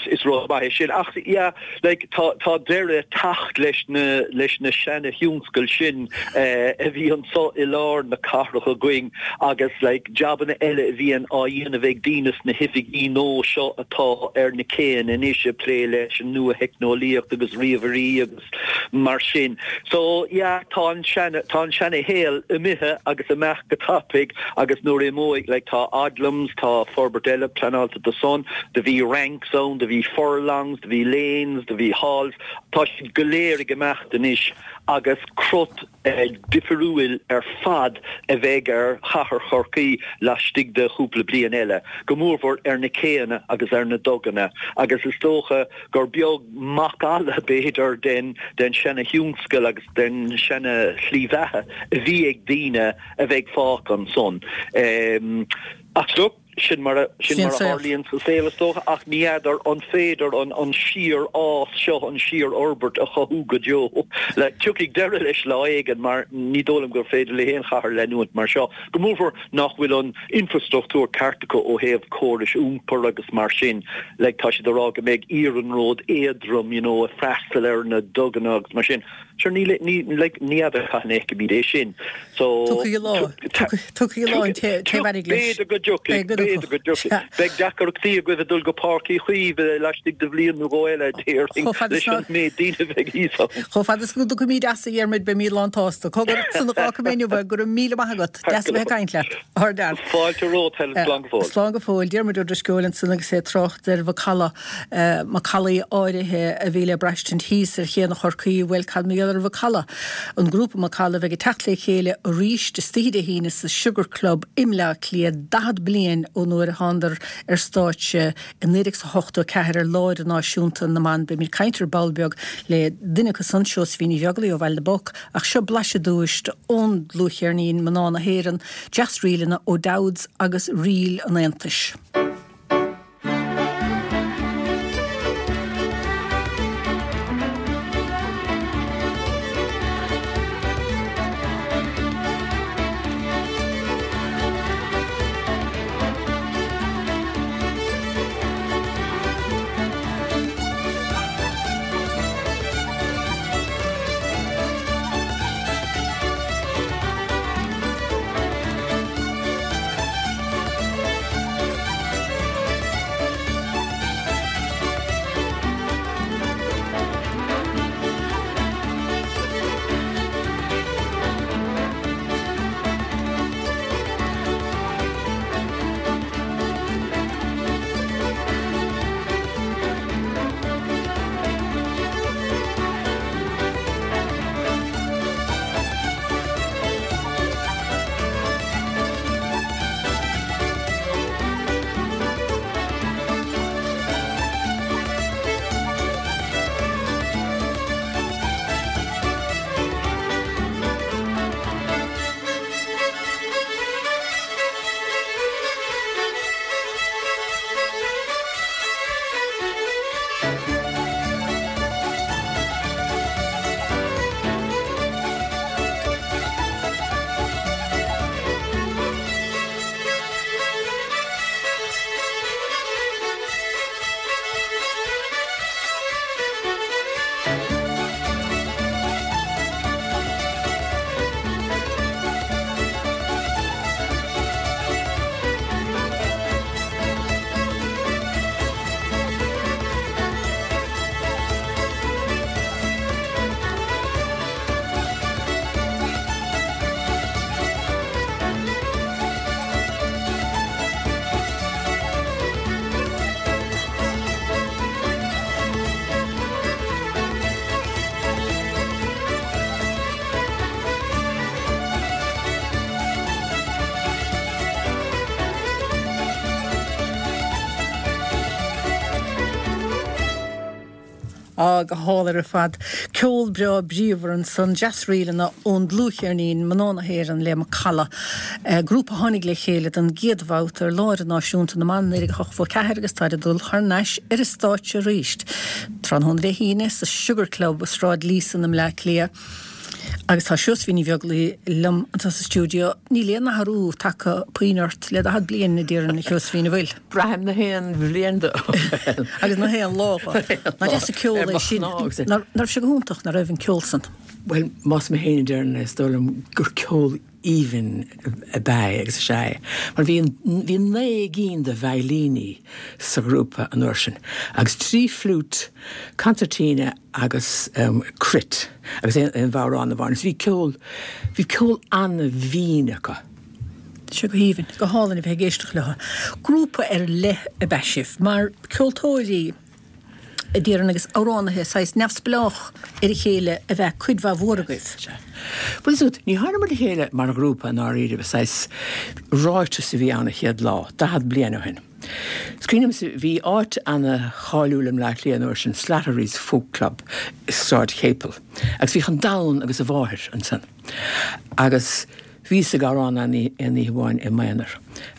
is rud maith é sin ach yeah, like tá tá deireadh ag teacht leis na leis na seana-thionscail sin a bhí anso i lár na cathrach againn agus like jabanna eile a bhíonn á dhéanamh ag daoine sna hoifigí nua seo atá ar na céanna anois ag plé leis an nua-theicneolaíocht agus ríomhairí agus mar sin. So yeah, tá an seana, tá an seana-shaol imithe agus imeacht go tapaidh agus nuair a imeoidh, like tá Odlums, tá forbairt eile pleanáilte do san, do bhí Ranks ann, do bhí Furlongs, do bhí Lanes, do bhí Halls, tá siad go léir ag imeacht anois agus crot difriúil ar fad a bheidh ar chathair Chorcaí laistigh de chúpla bliain eile, go mórmhór ar na céanna agus ar na duganna agus is dócha gur beag macalla, b'fhéidir, den den seana-thionscal agus den seana-shlí bheatha a bhí ag daoine a bheidh fágtha ansan. Ach look, sin mar a sin mar a tharlaíonn sa saol, is dócha, ach ní fheadar an féidir an an síorfhás seo, an síorfhorbairt a chothú go deo. Like, tiocfaidh deireadh leis lá éigin mar ní dóigh liom gur féidir le haon chathair leanúint mar seo, go mórmhór nach bhfuil an infrastruchtúr ceart acu ó thaobh córais iompair agus mar sin. Like, tá siad ag rá go mbeidh iarnród éadrom, you know, ag freastal ar na duganna agus mar sin. Sure ní ní like ní fheadar cathain a fheicfimid é sin. So Tiocfaidh lá. Tiocfaidh lá an té a bheidh leis. B'fhéidir go dtiocfaidh, b'fhéidir go dtiocfaidh. Beidh deacrachtaí agaibh ag dul go Páirc Uí Chaoimh laistigh de bhliain nó dhó eile, déarfainn, leis an méid daoine a bheidh thíos ann. Chomh fada is go dtiocfaimid as, a Dhiarmuid, beimid lán tsásta. Cogar, san a dh'fhágfaidh mé inniu é, go raibh míle maith agat. Deas a bheith ag caint leat. Thar lear. Fáilte romhat, Helen. Slán go fóill. Slán go fóill. Diarmuid Ó Drisceoil ansan agus é ag trácht ar mhacalla, macallaí áirithe a bhí le braistint thíos ar Chéanna Chorcaí, bhuel, cad mar gheall ar Mhacalla? An grúpa Macalla a bheidh ag teacht le chéile arís istoíche Dé hAoine sa Sugar Club i mBleá Cliath, daichead bliain ón uair a thánadar ar stáitse i naoi déag ochtó a ceathair ar Lá Idirnáisiúnta na mBan. Beimid ag caint ar ball beag le duine acu san, Seosaimhín Ní Bheaglaoí ó Bhaile na bPoc, ach seo blaiseadh dúist ón dlúthcheirnín Mná na hÉireann, deasríleanna O'Dowds agus Ríl an Aontais. Á, go hálainn ar fad. Ceol breá bríomhar ansan, deasríleanna ón dlúthcheirnín Mná na hÉireann le Macalla, grúpa a tháinig le chéile don gcéad bhabhta ar Lá Idirnáisiúnta na mBan naoi déag ochtó a ceathair agus táid ag dul thar n-ais ar an stáitse arís tráthnóna Dé hAoine sa Sugar Club i Sráid Leeson i mBleá Cliath. Agus tá Seosaimhín Ní Bheaglaoí liom anseo sa stiúideo. Níl aon athrú tagtha puinn ort le daichead bliain, a déarfainn, a Sheosaimhín, an bhfuil? Braithim na haon bhliain dó. Agus na haon lá dho. Nach deas an ceol é sin. Nach raibh sé go hiontach, nach raibh an ceol san? Bhuel, más mé féin a deireann é, is dóigh liom gur ceol aoibhinn ab ea é agus is ea é. Mar bhí bhí naoi gcinn de veidhlíní sa ghrúpa an uair sin, agus trí fliúit, concertina agus cruit agus aon bhodhrán amháin. Agus bhí ceol, bhí ceol an-mhín acu. Sé go haoibhinn, go hálainn a bheith ag éisteacht leo. Grúpa ar leith ab ea sibh, mar ceoltóirí. a déarfainn, agus amhránaithe saghas neamhspleách ar a chéile ab ea cuid mhaith mhór agaibh. Sea. Bhuel, is ea, ní tháinig muid le chéile mar ghrúpa i ndáiríre, saghas ráiteas a bhí ann an chéad lá, daichead bliain ó shin. Is cuimhin liomsa, bhí áit ana-cháiliúil i mBleá Cliath an uair sin, Slattery's Folk Club i Sráid Chéipil, agus bhíodh an domhan agus a mháthair ansan. Agus. Bhíos ag amhrán ann aon oíche amháin i m'aonar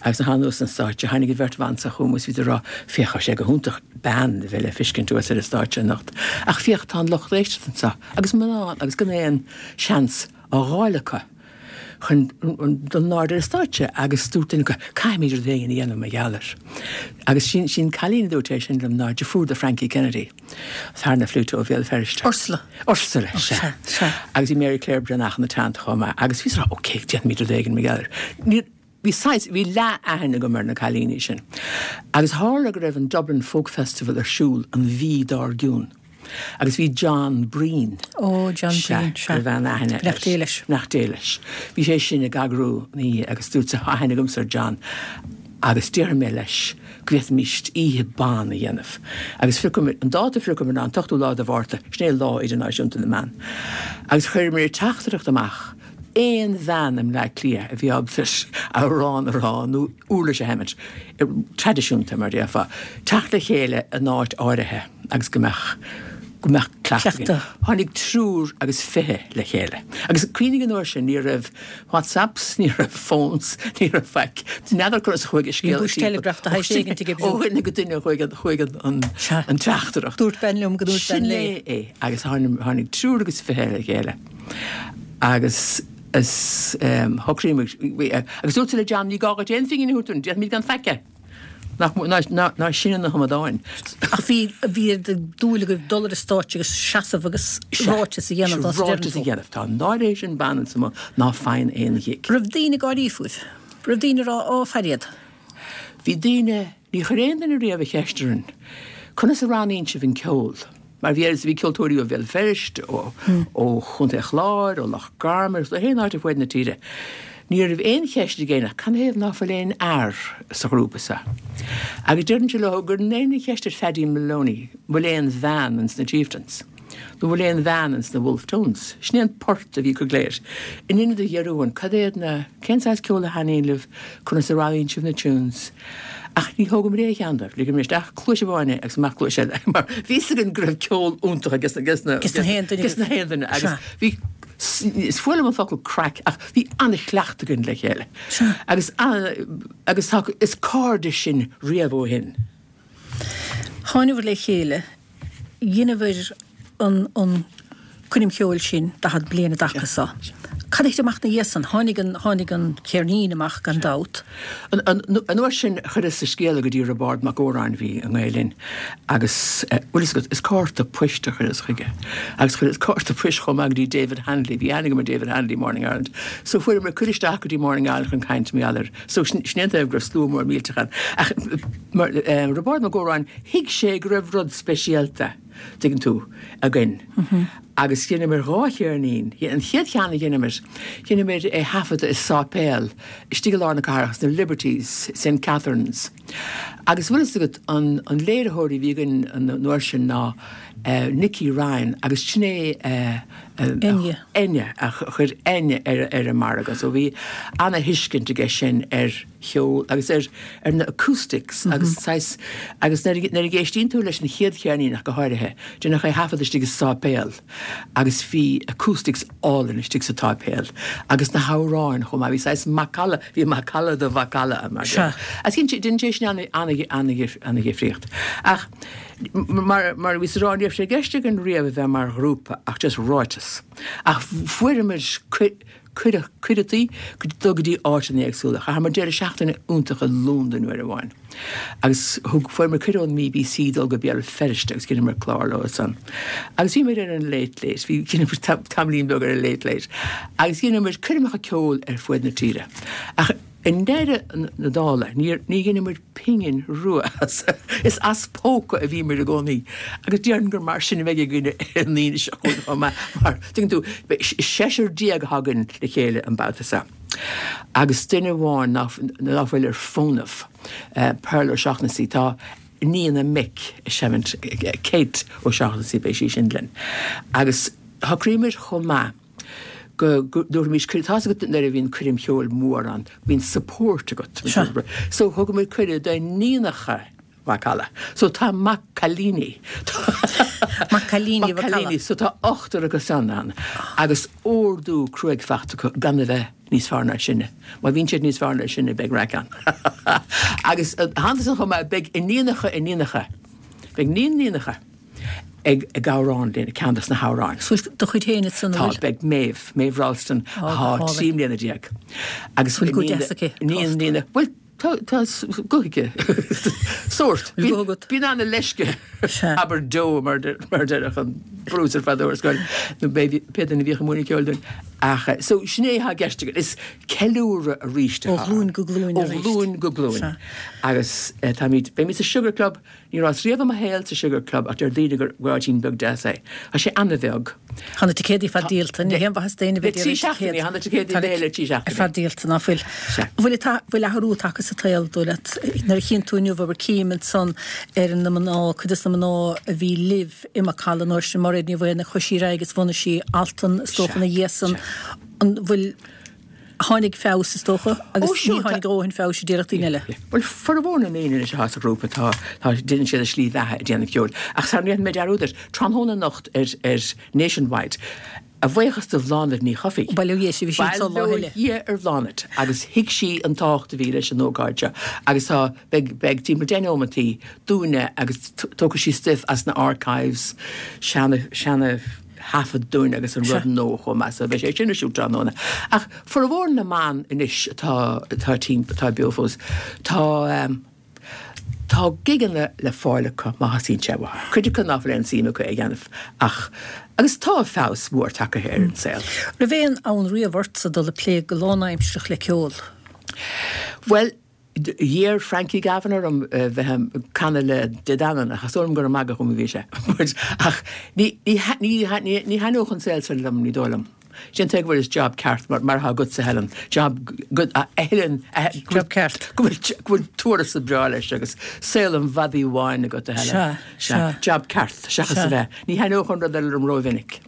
agus nuair a thánag anuas an stáitse tháinig an bheirt bhan so chugam agus bhíodar ag rá, Féach, tá sé go hiontach bean a bheith le feiscint thuas ar an stáitse anocht ach féach tá an lucht éisteachta anseo agus mná agus gan aon seans á dh'fháil acu. chun dul in airde ar an stáitse agus dúirt duine acu, caithfimid rud éigin a dhéanamh mar gheall air. Agus sin sin cailín a dúirt é sin liom ná deirfiúr do Frankie Kennedy, fear na fliúite ó Bhéal Feirste. Ursula. Ursula, sea. Sea. Agus bhí Mary Claire Breathnach ina teannta chomh maith. Agus bhíos ag rá, ok, déanfaimid rud éigin mar gheall air. Ní, bhí saghas, bhí leath-aithne agam ar na cailíní sin. Agus tharla go raibh an Dublin Folk Festival ar siúl an mhí dár gcionn. Agus bhí John Breen. Ó, John Breen, sea. Go raibh an-aithne air. Beannacht Dé leis. Beannacht Dé leis. Bhí sé sin ag eagrú an oíche agus dúirt sé, tá aithne agamsa ar John agus déarfaidh mé leis go bhféadfaimis oíche ban a dhéanamh. Agus phriocamar, an dáta a phriocamar ná an t-ochtú lá de Mhárta, sin é Lá Idirnáisiúnta na mBan. Agus chuireamar teachtaireacht amach aon bhean i mBleá Cliath a bhí ábalta amhrán a rá nó uirlis a sheinnt, traidisiúnta mar déarfá, teacht le chéile in áit áirithe agus go mbeadh go mbeadh cleachtadh againn. Tháinig triúr agus fiche le chéile. Agus cuimhnigh an uair sin, ní raibh WhatsApps, ní raibh phones, ní raibh faic. N'fheadar conas a chuaigh an scéal Bhí bush telegraph de shaghas éigin ag oibriú. Ó dhuine go duine chuaigh an, chuaigh an, an, an teachtaireacht. Dúirt bean liom go dúirt bean Sin léi. é é. Agus tháinig, tháinig triúr agus fiche le chéile. Agus is shocraigh muid, agus dúirt le John, ní gá duit aon phingin a thabhairt dúinn, déanfaimid gan faic é. Nach, ná, ná, ná sinne na hamadáin. Ach bhí, bhí dúil agaibh dul ar an stáitse agus seasamh agus ráiteas a dhéanamh dá Ráiteas a dhéanamh. Tá náire sin ban anso ná faigheann aon ghig. Raibh daoine ag gáirí fúibh? Raibh daoine ag rá, ó, fair iad? Bhí daoine, ní chuir aon duine riamh an cheist orainn, conas a roghnaíonn sibh an ceol? Mar bhí bhí ceoltóirí ó Bhéal Feirste, ó, ó Chontae Chláir, ó Loch Garman, ó aon áit ar fuaid na tíre. Ní raibh aon cheist ag éinne, canathaobh ná fuil aon fhear sa ghrúpa seo. Agus deirimse leo gur aon cheist ar Phaddy Moloney, bhfuil aon bhean ins na Chieftains. Nó bhfuil aon bhean ins na Wolfe Tones. Sin é an port a bhí acu go léir. In ionad a dhearbhú, cad é na, cén saghas ceol a thaitníonn libh, conas a roghnaíonn sibh na tunes. Ach ní thógamar aon cheann dóibh, ligeamar isteach cluais amháin é agus amach cluais eile, mar bhí fhios againn go raibh ceol iontach ages na, ges na, Ges na haon duine ges na haon duine, agus bhí, is fuath liom an focal craic, ach bhí an-chleachtadh againn le chéile. Agus an, agus tá, is cairde sinn riamh ó shin. Tháinabhair le chéile, dheineabhair an, an coirm cheoil sin daichead bliain i dtaca so. Cad a thit amach na dhiaidh san? Tháinig an, tháinig an ceirnín amach gan dabht. An, an, an uair sin chuireas an scéala go dtí Roibeárd Mac Góráin bhí i nGael Linn agus eh, bhfuil fhios agat, is cárta poist a chuireas chuige. Agus chuireas cárta poist chomh maith go dtí David Hanley, bhí aithne agam ar David Hanley Morning Ireland. So fuaireamar cuireadh isteach go dtí Morning Ireland chun caint mar gheall air. So sin, sin é an taobh go raibh slua mór millteach ann. Ach mar, eh, Roibeárd Mac Góráin, thuig sé go raibh rud speisialta, tuigeann tú, againn. Agus dheineamar dhá cheirnín. An chéad cheann a dheineamar, dheineamar é thaifeadadh i sáipéal, istigh i lár na cathrach sna Liberties, Saint Catherine's. Agus bhfuil fhios agat an, an léiritheoir a bhí againn an uair sin ná uh, Nicky Ryan agus sin é uh, uh, Enya. Enya, a chuir Enya ar, ar an margadh. So bhí ana-thuiscint aige sin ar cheol agus ar, ar na acoustics mm -hmm. agus saghas agus nuair a éistíonn tú leis an chéad cheirnín ach go háirithe, déanach é thaifead istigh i sáipéal agus bhí acoustics álainn istigh sa tsáipéal agus na hamhráin chomh maith bhí saghas macalla, bhí macalla de mhacalla mar Sea. Agus dhein sé sin ana-dhifríocht. Ach mar, mar bhí rá ní raibh sé i gceist againn riamh a bheith mar ghrúpa ach just ráiteas. Ach fuaireamar cuireadh cuireadh dul go dtí áiteanna éagsúla. Chaitheamar deireadh seachtaine iontach i Londain uair amháin. Agus thug fuaireamar cuireadh ón B B C dul go Béal Feirste agus dheineamar clár leo san. Agus bhíomar ar an Late Late, bhí dheineamar tamaillín beag ar an Late Late. Agus dheineamar coirmeacha ceoil ar fuaid na tíre. Ach i ndeireadh na dála, ní dheineamar pingin rua as. Is as póca a bhíomar i gcónaí. Agus déarfainn gur mar sin a bheidh againn an Aoine seo chugainn mar tuigeann tú seisear déag a thagann le chéile an babhta seo. Agus duine amháin ná ná fuil ar fónamh, uh, Pearl O'Shaughnessy, tá iníon a mic seimint Kate O'Shaughnessy beidh sí sin linn. Agus shocraíomar chomh maith go dtabharfaimis tá agat nuair a bhíonn coirm cheoil mór ann, bíonn support agat. So thugamar cuireadh d'iníonacha Mhacalla. So tá Maccailíní. Maccailíní Maccailíní, so tá ochtar acu san ann. Agus ordú cruaidh faighte acu gan a bheith níos fearr ná sinne. Má bhíonn siad níos fearr ná sinne beidh raic ann. Agus hantas chomh maith beidh iníonacha iníonacha. Beidh níon iníonacha. ag ag amhrán linn ceann des na hamhráin. So do chuid féin san Tá beidh Maeve, Maeve Ralston atá trí mbliana déag. Agus Bhfuil guth deas aici? Ní ní bhuel tá tá guth aici. Sórt. Bhfuil guth agat? Bíonn ana leisce Sea. abair do mar de- mar deir an brús ar fad ar scoil nó pé duine a bhíodh ag múineadh ceoil dúinn. Ach eh, so sin é atá i gceist againn. Is ceiliúradh arís Ó ghlúin go glúin Ó arís. ghlúin go glúin. Sea. Agus eh, táimid beimid sa Sugar Club, ní rabhas riamh i mo shaol sa Sugar Club ach deir daoine gur gur áitín beag deas é. Tá sé an-bheag. Tá na ticéidí fad díolta, ní haon mhaitheas d'éinne Le trí seachtainí, tá na ticéidí béil le trí seachtainí. Ar fad díolta ná fuil. Sea. Bhfuil tá bhfuil athrú tagtha sa tsaol dóigh leat nuair a chíonn tú inniu bhur cím ansan ar na mná cuid des na mná a bhí libh i Macalla nuair sin Mairéad Ní Mhaonaigh chuaigh sí ar aghaidh agus bhunaigh sí Altan is dócha ina dhiaidh san an bhfuil tháinig feabhas is dócha agus Ó, sure, ní tháinig dóthain feabhais i dtíreacht daoine eile. Well formhór na ndaoine anois atá sa ghrúpa tá tá déanann siad a slí bheatha ag déanamh ceoil. Ach sar ndéanfaidh mé dearúd air, tráthnóna anocht ar ar Nationwide. A bhuíochas do Bhláthnaid Ní Chofaigh. Bail ó Dhia uirthi, bhí sí anso lá Bail ó eile. Dhia ar Bhláthnaid agus thuig sí an tábhacht a bhí leis an ócáid seo. Agus tá beidh beidh timpeall deich nóimeataí dúinne agus tógfaidh sí stuif as na archives seana seana thaifead dúinn agus an rud nua chomh maith so beidh sé sin ar siúl tráthnóna. Ach formhór na mban anois atá atá tím atá beo fós tá um, Tá gigeanna le fáil acu má theastaíonn sé uathu. Cuid acu nach bhfuil aon suim acu a dhéanamh ach agus tá feabhas mór tagtha ar an saol. Raibh aon fhonn riamh ortsa dul ag plé go lánaimsearach le ceol. Well, d'iarr Frankie Gavin orm uh, bheith ag canadh le De Danann ach is dóigh liom gur ag magadh dom a bhí sé. But, ach ní ní ní ní ní thaitneodh an saol sin liom ní dóigh liom. Sin go bhfuil is job ceart mar mar atá agatsa Helen. Job good a Helen Job ceart. Go bhfuil go bhfuil tuarastal breá leis agus saol an mhadaidh bháin agat a Helen. Sea, sea. Job ceart seachas Sea. a bheith. Ní thaitneodh an rud eile liom rómhinic.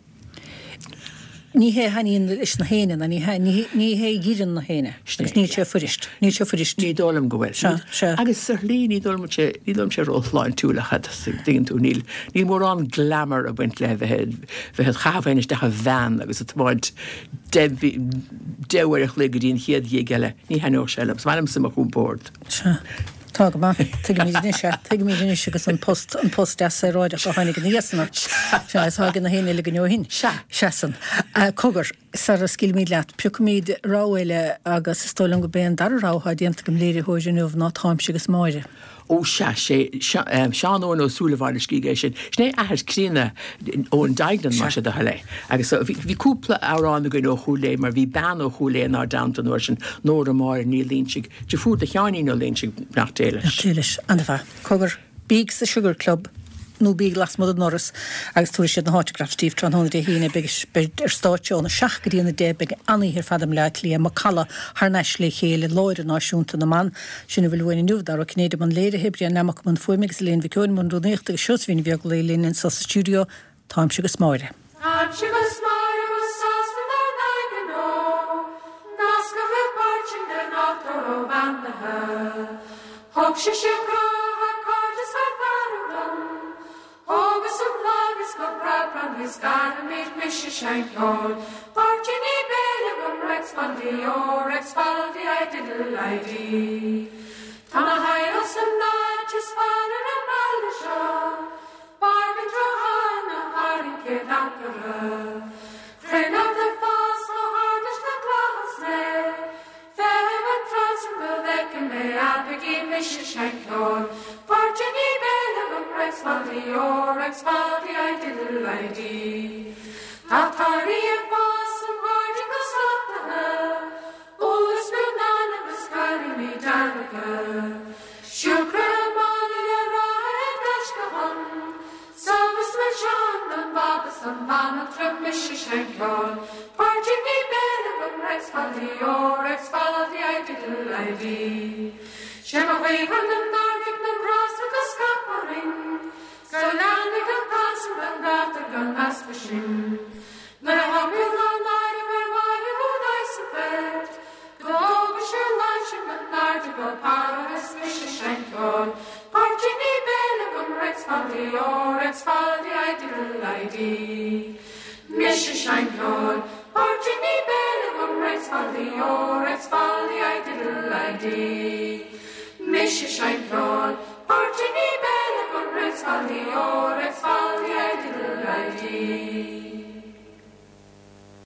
Ní hé thaitníonn leis na héinne ná ní hé ní ní hé a dh'iarrann na héinne. Agus níl sé fuirist. Níl sé fuirist. Ní dóigh liom go bhfuil. Sea, sea. Agus ar shlí ní dóigh liom sé ní dóigh liom sé róshláintiúil a chad tuigeann tú níl níl mórán glamour ag baint le bheith bheith chaithfein isteach i veain agus ag tiomáint deich uair a chloig go dtí an chéad ghig eile ní thaitneodh sé liom. Is maith liomsa mo chompord. Sea. Tá go maith. Tuigimid anois é. Tuigimid anois agus an post an post deas saoráideach a tháinig ina dhiaidh san. Sea, is tháinig na héinne eile go ó shin. Sea. Seasan. Uh, Cogar, sara scaoilfimid leat, piocfaimid rogha eile agus is dóigh liom go b'é an dara rogha atá déanta agam léiritheoir inniu ná Táimse agus Máire. Ó sea sé Seán Eoin Ó Súilleabháin a scrígh é sin. Sin é athair críonna Eoin Duignan mar sé do thoil é. Agus so, bhí bhí cúpla amhrán againn ó Chúil Aodha mar bhí bean ó Chúil Aodha inár dteannta an uair sin Nóra Máire Ní Loingsigh, deirfiúr do Sheáinín Ó Loingsigh nach dté leis. Téilis, an-mhaith. Cogar, bíg sa Sugar Club nó bíg lasmuigh den ndoras agus tabharfaidh siad na hautographs daoibh tráthnóna Dé hAoine beidh beidh ar stáitse óna seacht go dtí a deich beidh an-oíche ar fad i mBleá Cliath Macalla thar n-ais le chéile Láire Náisiúnta na mBan sin a bhfuil uainn inniu Dara Ó Cinnéide i mbun léirithe Brian Nammock i mbun fuaime agus Elaine Mhic Eoin i mbun rúnaíochta agus Seosaimhín Ní Bheaglaoich linn anseo sa stiúideo Táimse agus Máire. Táimse agus Máire go sásta dár n-aghaidh Nascadh le páirtí den nádúr róbheannaithe. Thug sise grá thar cairdeas thar fearadh dom. Thógas an lámh is go breá is gairimid mise seinceoil. Páirtíní béil agam Rex Baldi ó Rex Baldi I diddle I dee. Tá na hail san áit is fearr ar an mbaile seo. Bargain tráthnóna thar an chéad ancaire. Cruinnead ag fás chomh hard leis na clogais mé. Feithim an tráth go bhfeicim mé abaigí mise seinceoil. Páirtíní béil agam Rex Baldi ó Rex Baldi I diddle I dee. Tá torthaí ag fás sa ngairdín go slachtmhar. Úlla is miornáin agus cailíní dearga. Siúcra i mála le rátha i dtaisce dhom. Subh is milseáin don bhab is don bhanaltra mise seinceoil. Páirtíní béil agam Rex Baldi ó Rex Baldi I diddle I dee. Sé mo ghaoth na n-ardaigh na grásta go scaip orainn. Go leanfaidh an t-ansan gan gátar gan easpa sin. Nuair a thagann lá náire ar mhaithe ó sa bhfead, go dtóga sé láimhse na n-airde go Páras mise seinceoil. Páirtíní béil agam Rex Baldi ó Rex Baldi I diddle I dee. Mise seinceoil, Páirtíní béil agam Rex Baldi ó Rex Baldi I diddle I dee. Mise seinceoil, Páirtíní béil agam Rex Baldi ó Rex Baldi I diddle I D.